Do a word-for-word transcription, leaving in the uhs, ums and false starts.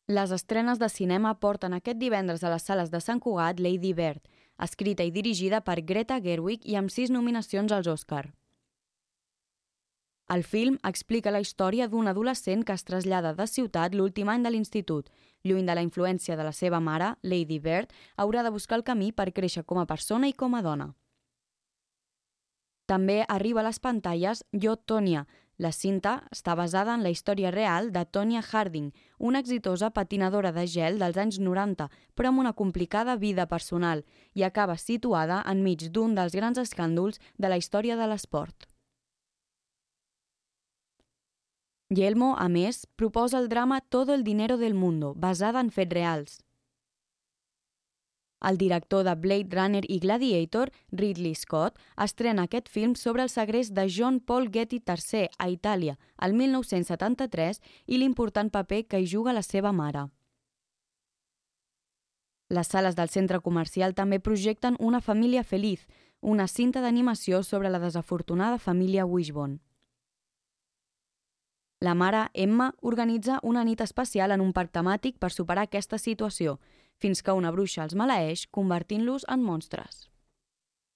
Les estrenes de cinema porten aquest divendres a les sales de Sant Cugat Lady Bird, escrita i dirigida per Greta Gerwig i amb sis nominacions als Oscar. El film explica la història d'un adolescent que es trasllada de ciutat l'últim any de l'institut. Lluny de la influència de la seva mare, Lady Bird haurà de buscar el camí per créixer com a persona i com a dona. També arriba a les pantalles Jo, Tonya. La cinta està basada en la història real de Tonya Harding, una exitosa patinadora de gel dels anys noranta, però amb una complicada vida personal, i acaba situada enmig d'un dels grans escàndols de la història de l'esport. Yelmo, a més, proposa el drama Todo el dinero del mundo, basada en fets reals. El director de Blade Runner i Gladiator, Ridley Scott, estrena aquest film sobre el segrest de John Paul Getty tercer a Itàlia, el mil nou-cents setanta-tres, i l'important paper que hi juga la seva mare. Les sales del centre comercial també projecten Una família feliç, una cinta d'animació sobre la desafortunada família Wishbone. La mare, Emma, organitza una nit especial en un parc temàtic per superar aquesta situació, fins que una bruixa els maleeix, convertint-los en monstres.